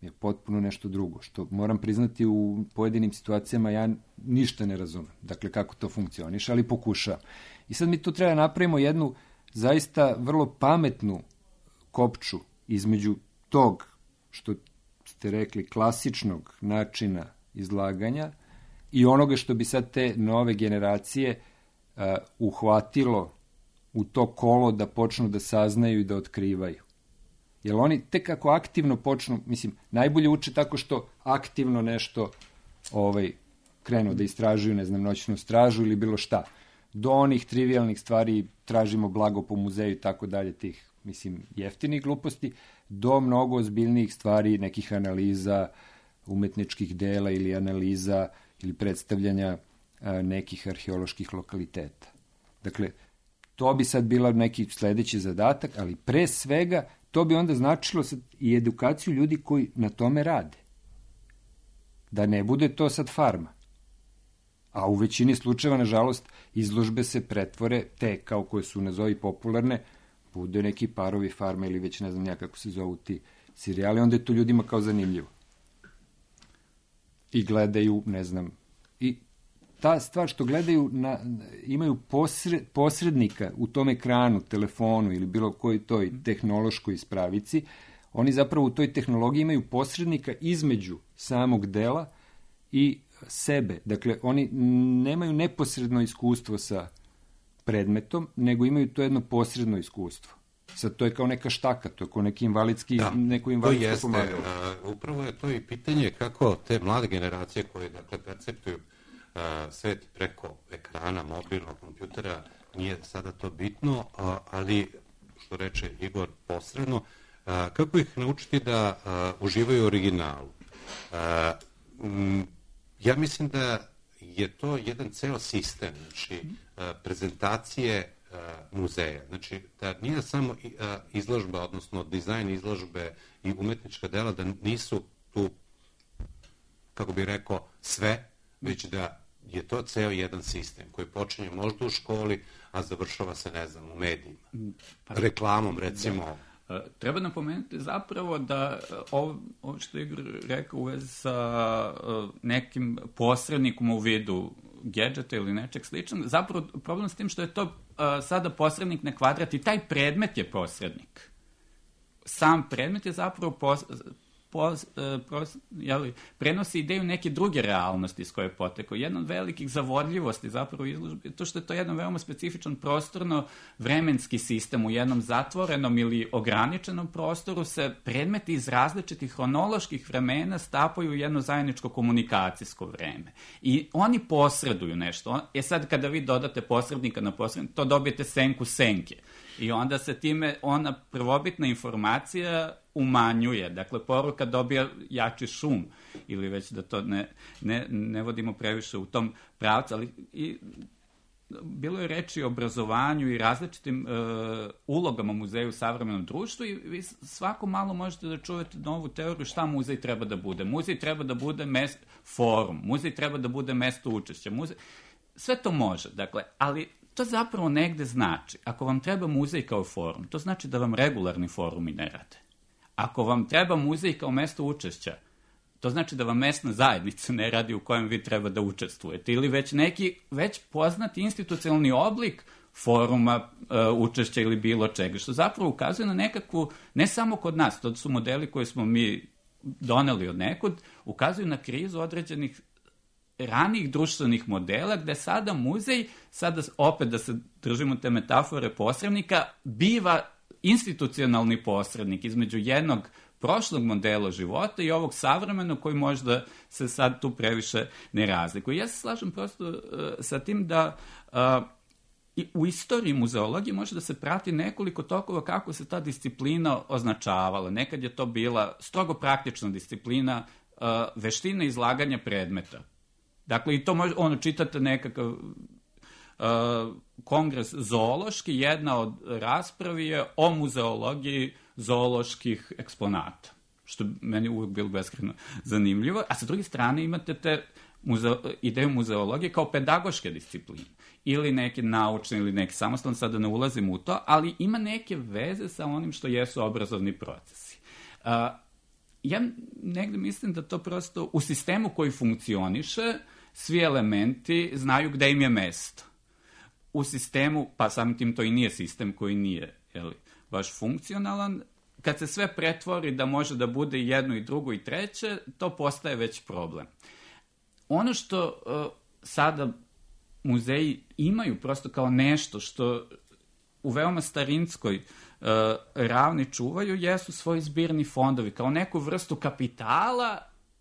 je potpuno nešto drugo, što moram priznati u pojedinim situacijama ja ništa ne razumem, dakle kako to funkcioniše, ali pokušavam. I sad mi tu treba napravimo jednu zaista vrlo pametnu kopču između tog, što ste rekli, klasičnog načina izlaganja i onoga što bi sad te nove generacije uh, uhvatilo u to kolo da počnu da saznaju i da otkrivaju. Jer oni tek ako aktivno počnu, mislim, najbolje uče tako što aktivno nešto ovaj, krenu da istražuju, ne znam, noćnu stražu ili bilo šta. Do onih trivialnih stvari tražimo blago po muzeju i tako dalje, tih, mislim, jeftinih gluposti, do mnogo ozbiljnijih stvari, nekih analiza, umetničkih dela ili analiza ili predstavljanja a, nekih arheoloških lokaliteta. Dakle, to bi sad bila neki sledeći zadatak, ali pre svega to bi onda značilo sad i edukaciju ljudi koji na tome rade. Da ne bude to sad farma. A u većini slučajeva, nažalost, izložbe se pretvore, te kao koje su nazovi popularne, bude neki parovi farma ili već ne znam ja kako se zovu ti serijali, onda je to ljudima kao zanimljivo. I gledaju, ne znam, i ta stvar što gledaju, na, imaju posred, posrednika u tom ekranu, telefonu ili bilo koji toj tehnološkoj ispravici, oni zapravo u toj tehnologiji imaju posrednika između samog dela i sebe. Dakle, oni nemaju neposredno iskustvo sa predmetom, nego imaju to jedno posredno iskustvo. Sad to je kao neka štaka, to je kao neki invalidski, da, neko invalidsko to jeste, pomagalo. Uh, upravo je to i pitanje kako te mlade generacije koje, dakle, perceptuju uh, svet preko ekrana, mobilnog kompjutera, nije sada to bitno, uh, ali, što reče Igor, posredno, uh, kako ih naučiti da uh, uživaju u originalu? Uh, m, ja mislim da je to jedan ceo sistem, znači, uh, prezentacije muzeja. Znači, da nije samo izložba, odnosno dizajn izložbe i umetnička dela, da nisu tu, kako bih rekao, sve, već da je to ceo jedan sistem koji počinje možda u školi, a završava se, ne znam, u medijima. Reklamom, recimo. Da. Treba napomenuti zapravo da ovo, ovo što je Igor rekao u vezi sa nekim posrednikom u vidu gadgeta ili nečeg sličnog, zapravo problem s tim što je to uh, sada posrednik na kvadrat i taj predmet je posrednik. Sam predmet je zapravo pos, pos, pros, jeli, prenosi ideju neke druge realnosti iz koje je potekao. Jedna od velikih zavodljivosti zapravo izložbe je to što je to jedan veoma specifičan prostorno vremenski sistem. U jednom zatvorenom ili ograničenom prostoru se predmeti iz različitih hronoloških vremena stapaju u jedno zajedničko komunikacijsko vreme. I oni posreduju nešto. E sad kada vi dodate posrednika na posrednika, to dobijete senku senke. I onda se time ona prvobitna informacija umanjuje. Dakle, poruka dobija jači šum. Ili već da to ne, ne, ne vodimo previše u tom pravcu. Ali i bilo je reči o obrazovanju i različitim e, ulogama u muzeju u savremenom društvu i vi svako malo možete da čujete novu teoriju šta muzej treba da bude. Muzej treba da bude mest, forum, muzej treba da bude mesto učešća. Muzej, sve to može, dakle, ali to zapravo negde znači, ako vam treba muzej kao forum, to znači da vam regularni forumi ne rade. Ako vam treba muzej kao mesto učešća, to znači da vam mesna zajednica ne radi u kojem vi treba da učestvujete. Ili već neki već poznati institucionalni oblik foruma, uh, učešća ili bilo čega, što zapravo ukazuje na nekakvu, ne samo kod nas, to su modeli koje smo mi doneli od nekud, ukazuju na krizu određenih ranih društvenih modela, gde sada muzej, sada opet da se držimo te metafore posrednika, biva institucionalni posrednik između jednog prošlog modela života i ovog savremenog koji možda se sad tu previše ne razlikuje. Ja se slažem prosto uh, sa tim da uh, i u istoriji muzeologije može da se prati nekoliko tokova kako se ta disciplina označavala. Nekad je to bila strogo praktična disciplina, uh, veština izlaganja predmeta. Dakle, i to može, ono, čitate nekakav uh, kongres zoološki, jedna od raspravi je o muzeologiji zooloških eksponata, što meni uvijek bilo beskrajno zanimljivo. A sa druge strane imate te muze, ideju muzeologije kao pedagoške discipline. Ili neke naučne, ili neke samostalne, sada ne ulazim u to, ali ima neke veze sa onim što jesu obrazovni procesi. Uh, ja negde mislim da to prosto u sistemu koji funkcioniše, svi elementi znaju gde im je mesto. U sistemu, pa samim tim to i nije sistem koji nije, jeli, baš funkcionalan, kad se sve pretvori da može da bude i jedno i drugo i treće, to postaje već problem. Ono što uh, sada muzeji imaju prosto kao nešto što u veoma starinskoj uh, ravni čuvaju, jesu svoji zbirni fondovi, kao neku vrstu kapitala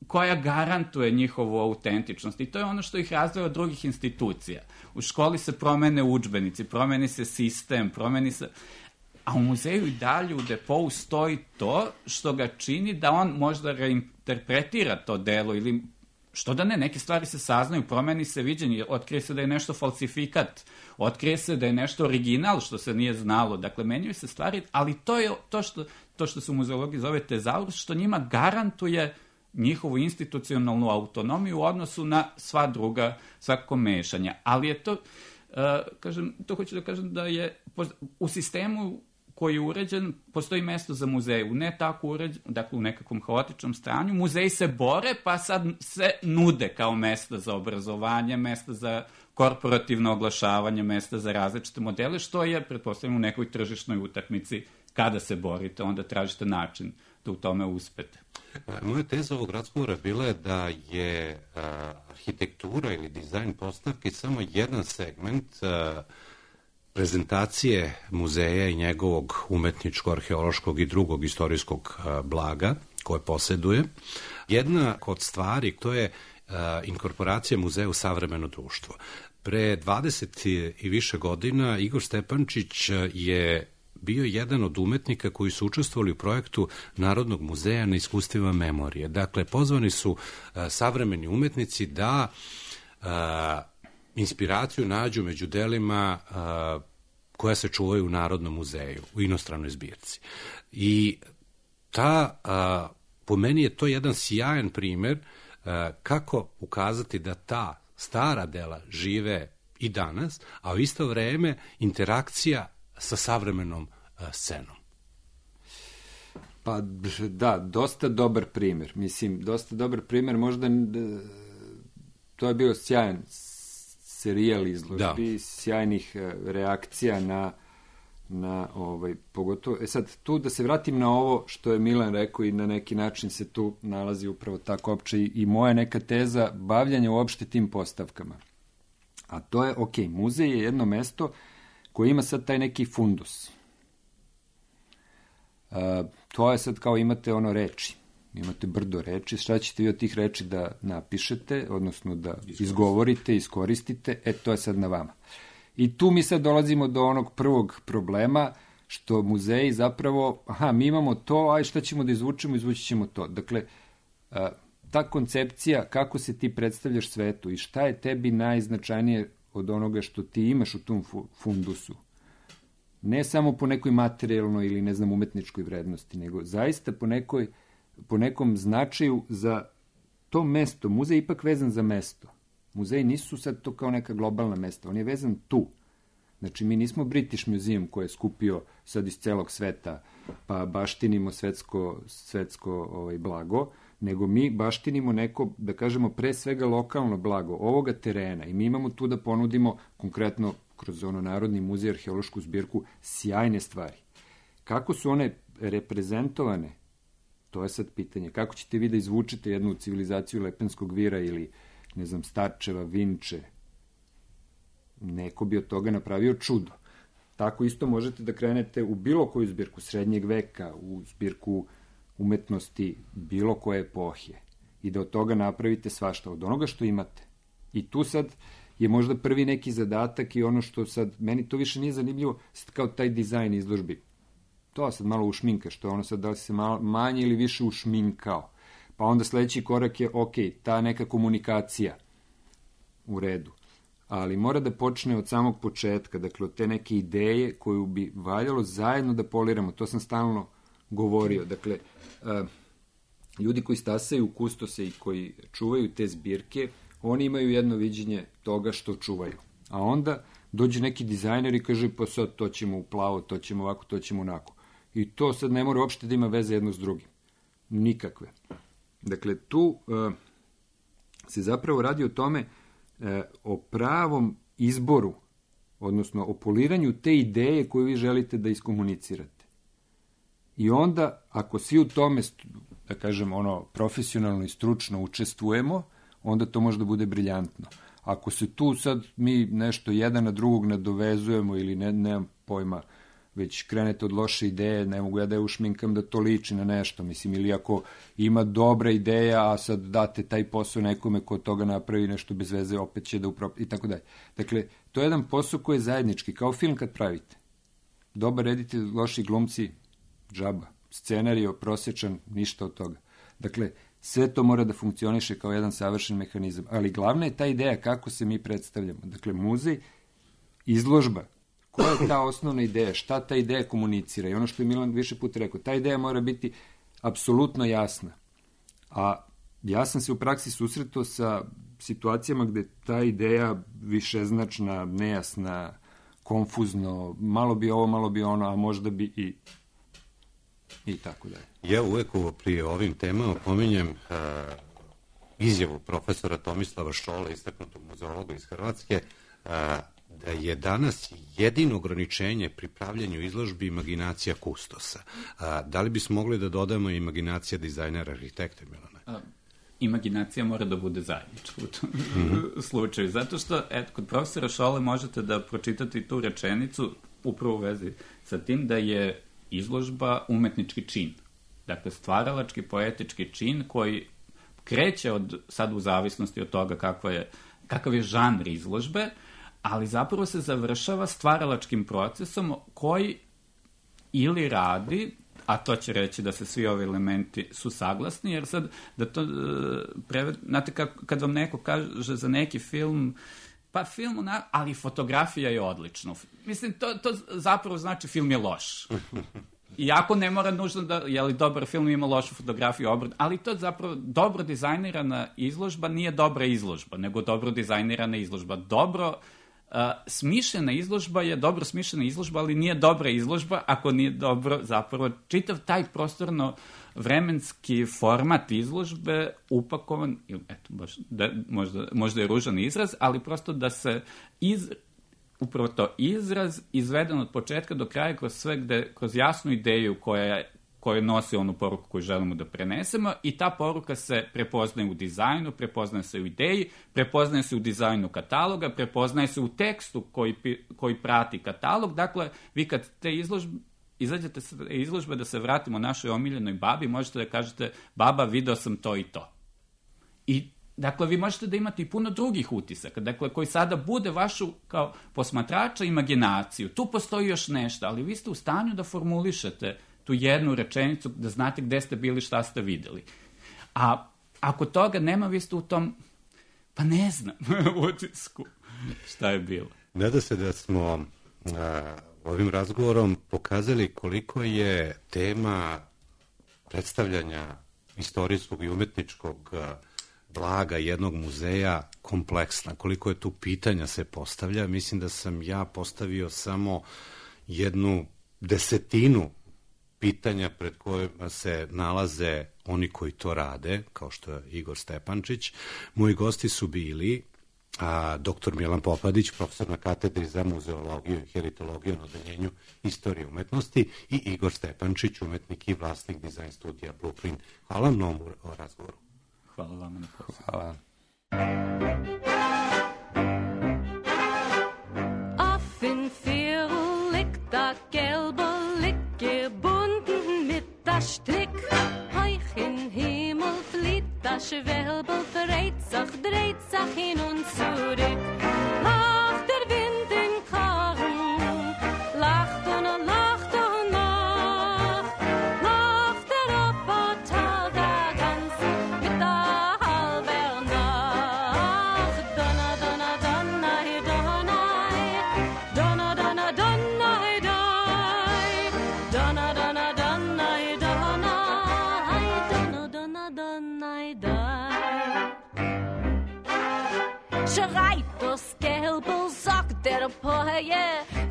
koja garantuje njihovu autentičnost. I to je ono što ih razdvaja od drugih institucija. U školi se promene udžbenici, promeni se sistem, promeni se... A u muzeju i dalje u depou stoji to što ga čini da on možda reinterpretira to delo ili što da ne, neke stvari se saznaju, promeni se viđenje, otkrije se da je nešto falsifikat, otkrije se da je nešto original što se nije znalo, dakle menjaju se stvari, ali to je to što, to što se u muzeologiji zove tezaurus, što njima garantuje njihovu institucionalnu autonomiju u odnosu na sva druga, svako mešanja. Ali je to, uh, kažem, to hoću da kažem da je u sistemu koji je uređen, postoji mesto za muzej. U ne tako uređen, dakle u nekakvom haotičnom stanju, muzeji se bore, pa sad se nude kao mesta za obrazovanje, mesta za korporativno oglašavanje, mesta za različite modele, što je, pretpostavljamo, u nekoj tržišnoj utakmici. Kada se borite, onda tražite način da u tome uspete. Moja teza ovog razgovora bila je da je a, arhitektura ili dizajn postavke samo jedan segment a, prezentacije muzeja i njegovog umetničko-arheološkog i drugog istorijskog a, blaga koje posjeduje. Jedna od stvari, to je a, inkorporacija muzeja u savremeno društvo. Pre dvadeset i više godina Igor Stepančić je bio jedan od umetnika koji su učestvovali u projektu Narodnog muzeja na iskustvima memorije. Dakle, pozvani su uh, savremeni umetnici da uh, inspiraciju nađu među delima uh, koja se čuvaju u Narodnom muzeju, u inostranoj zbirci. I ta, uh, po meni je to jedan sjajan primer uh, kako ukazati da ta stara dela žive i danas, a u isto vreme interakcija sa savremenom uh, scenom. Pa da, dosta dobar primjer. Mislim, dosta dobar primjer, možda to je bio sjajan serijal izložbi, da. Sjajnih reakcija na, na ovaj, pogotovo, e sad, tu da se vratim na ovo što je Milan rekao i na neki način se tu nalazi upravo tako opće i, i moja neka teza bavljanja uopšte tim postavkama. A to je, ok, muzej je jedno mesto koje ima sad taj neki fundus. Uh, to je sad kao imate ono reči. Imate brdo reči, šta ćete vi od tih reči da napišete, odnosno da izgovorite, iskoristite, e to je sad na vama. I tu mi sad dolazimo do onog prvog problema, što muzeji zapravo, aha, mi imamo to, aj šta ćemo da izvučemo, izvući ćemo to. Dakle, ta koncepcija kako se ti predstavljaš svetu i šta je tebi najznačajnije od onoga što ti imaš u tom fundusu, ne samo po nekoj materijalnoj ili, ne znam, umetničkoj vrednosti, nego zaista po, nekoj, po nekom značaju za to mesto. Muzej je ipak vezan za mesto. Muzeji nisu sad to kao neka globalna mesta, on je vezan tu. Znači, mi nismo British Museum koji je skupio sad iz celog sveta, pa baštinimo svetsko, svetsko ovaj, blago, nego mi baštinimo neko, da kažemo, pre svega lokalno blago ovoga terena i mi imamo tu da ponudimo konkretno kroz ono Narodni muzej, arheološku zbirku, sjajne stvari. Kako su one reprezentovane, to je sad pitanje. Kako ćete vi da izvučete jednu civilizaciju Lepenskog vira ili, ne znam, Starčeva, Vinče? Neko bi od toga napravio čudo. Tako isto možete da krenete u bilo koju zbirku srednjeg veka, u zbirku umetnosti bilo koje epohije i da od toga napravite svašta, od onoga što imate. I tu sad je možda prvi neki zadatak i ono što sad, meni to više nije zanimljivo, sad kao taj dizajn izložbi. To sad malo ušminka, što je ono sad da li se malo, manje ili više ušminkao. Pa onda sledeći korak je, ok, ta neka komunikacija u redu. Ali mora da počne od samog početka, dakle od te neke ideje koju bi valjalo zajedno da poliramo. To sam stalno govorio. Dakle, uh, ljudi koji stasaju kustose i koji čuvaju te zbirke, oni imaju jedno viđenje toga što čuvaju. A onda dođe neki dizajner i kaže, pa sad to ćemo u plavo, to ćemo ovako, to ćemo onako. I to sad ne mora uopšte da ima veze jedno s drugim. Nikakve. Dakle, tu uh, se zapravo radi o tome, uh, o pravom izboru, odnosno o poliranju te ideje koju vi želite da iskomunicirate. I onda, ako svi u tome, da kažem, ono, profesionalno i stručno učestvujemo, onda to može da bude briljantno. Ako se tu sad mi nešto jedan na drugog nadovezujemo ili ne, nemam pojma, već krenete od loše ideje, ne mogu ja da je ušminkam da to liči na nešto, mislim, ili ako ima dobra ideja, a sad date taj posao nekome ko od toga napravi nešto bez veze, opet će da uprop... i tako dalje. Dakle, to je jedan posao koji je zajednički, kao film kad pravite. Dobar reditelj, loši glumci, džaba. Scenario, prosječan, ništa od toga. Dakle, sve to mora da funkcioniše kao jedan savršen mehanizam. Ali glavna je ta ideja kako se mi predstavljamo. Dakle, muzej, izložba. Koja je ta osnovna ideja? Šta ta ideja komunicira? I ono što je Milan više puta rekao, ta ideja mora biti apsolutno jasna. A ja sam se u praksi susretao sa situacijama gde ta ideja višeznačna, nejasna, konfuzno, malo bi ovo, malo bi ono, a možda bi i i tako dalje. Ja uvek ovo prije ovim temama pominjem uh, izjavu profesora Tomislava Šole, istaknutog muzeologa iz Hrvatske, uh, da je danas jedino ograničenje pri pravljanju izložbi imaginacija kustosa. A, da li bismo mogli da dodamo imaginacija dizajnera, arhitekta, Milana? A, imaginacija mora da bude zajednička u tom mm-hmm. slučaju. Zato što, eto, kod profesora Šole možete da pročitate tu rečenicu upravo u vezi sa tim da je izložba umetnički čin. Dakle, stvaralački, poetički čin koji kreće od, sad u zavisnosti od toga kakva je, kakav je žanr izložbe, ali zapravo se završava stvaralačkim procesom koji ili radi, a to će reći da se svi ovi elementi su saglasni, jer sad, da to, preved, znate, kako, kad vam neko kaže za neki film, pa film, ali fotografija je odlična. Mislim, to, to zapravo znači film je loš. Iako ne mora nužno da, je li dobar film ima lošu fotografiju, obrad, ali to zapravo dobro dizajnirana izložba nije dobra izložba, nego dobro dizajnirana izložba. Dobro Uh, smišljena izložba je dobro smišljena izložba, ali nije dobra izložba ako nije dobro zapravo čitav taj prostorno vremenski format izložbe upakovan, ili eto, baš, da, možda, možda je ružan izraz, ali prosto da se iz, upravo to izraz izveden od početka do kraja kroz sve gde, kroz jasnu ideju koja, koja nosi onu poruku koju želimo da prenesemo i ta poruka se prepoznaje u dizajnu, prepoznaje se u ideji, prepoznaje se u dizajnu kataloga, prepoznaje se u tekstu koji, koji prati katalog. Dakle, vi kad te izložbe izađete sa izložbe, da se vratimo našoj omiljenoj babi, možete da kažete, baba, video sam to i to. I, dakle, vi možete da imate i puno drugih utisaka, dakle, koji sada bude vašu, kao posmatrača, imaginaciju. Tu postoji još nešto, ali vi ste u stanju da formulišete tu jednu rečenicu, da znate gde ste bili, šta ste videli. A ako toga nema, vi ste u tom, pa ne znam, utisku šta je bilo. Nada se da smo a, ovim razgovorom pokazali koliko je tema predstavljanja istorijskog i umetničkog blaga jednog muzeja kompleksna, koliko je tu pitanja se postavlja. Mislim da sam ja postavio samo jednu desetinu pitanja pred kojima se nalaze oni koji to rade, kao što je Igor Stepančić. Moji gosti su bili a, doktor Milan Popadić, profesor na katedri za muzeologiju i heritologiju na odeljenju istorije umetnosti, i Igor Stepančić, umetnik i vlasnik dizajn studija Blueprint. Hvala vam na ovom razgovoru. Hvala vam na pozivu. Hvala. Affen Firlik, da gelbe Licke, bunden mit das Strick. Heuch in Himmel flieht das Schwelbel, dreht sich, dreht sich hin und zurück. Lacht der Wind in Karren, lacht und lacht und lacht. Lacht der Roboter der ganze mit der halber Nacht. Donna, donna, donna, donna, donna, donna, donna, donna, donna, donna, schreit das Gelbel, sagt der Poje,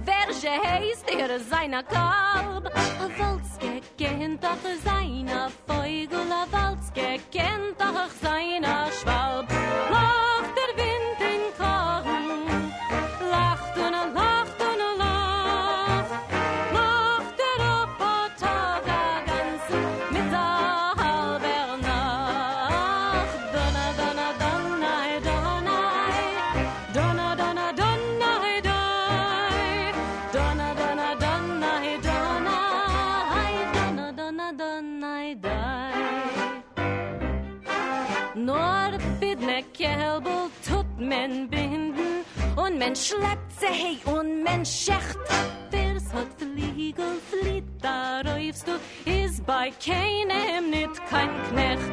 welche heißt er seiner Kalb? A Walzke kennt doch seiner Vögel, a Walzke kennt doch seiner Schwalb. Lacht der Wind in Korn, lacht und er lacht und er lacht. Lacht der Roboter der ganzen mit der halber Nacht. Donna, donna, donna, donna. Donna, donna, donna, dai. Donna, donna, donna, donna. Donna, donna, donna, dai. Nur bidne Kälbel tut men binden und men schleppt sie hey und men schecht. Wer's hat Fliegel, flieht, da räufst du, is bei keinem nit kein Knecht.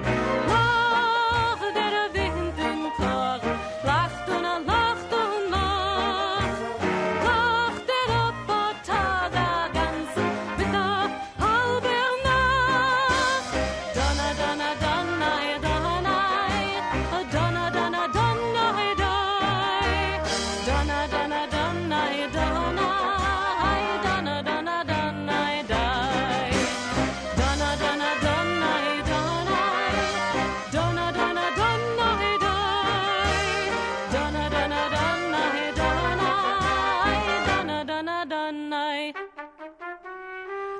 Lach der Wind im Korn, lacht und er lacht und lacht. Lacht der Roboter der ganzen mit der halber Nacht. Donna, donna, donna, donna, donna, donna, donna, donna, donna, donna, donna, donna, donna, donna, dai. Donna, donna, donna, donna, donna, donna, donna, dai. Donna, donna, donna, donna, donna, donna,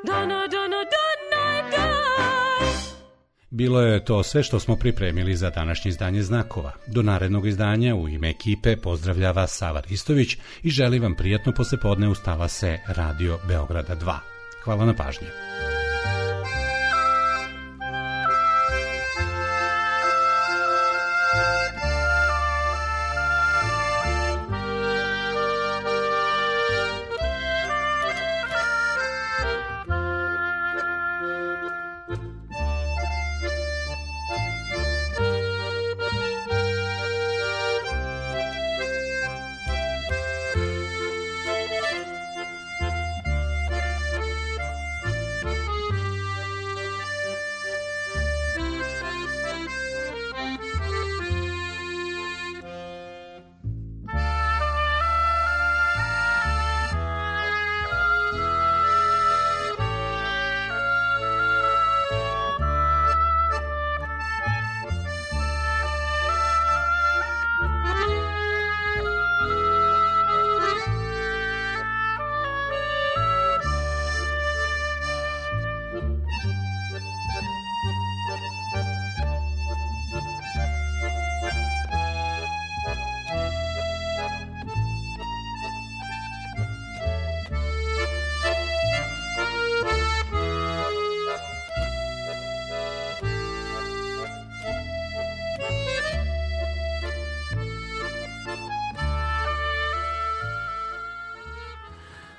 donna, donna, donna, donna, dai. Bilo je to sve što smo pripremili za današnje izdanje Znakova. Do narednog izdanja u ime ekipe pozdravlja vas Sava Ristović i želi vam prijatno poslepodne uz talase Radio Beograda dva. Hvala na pažnji.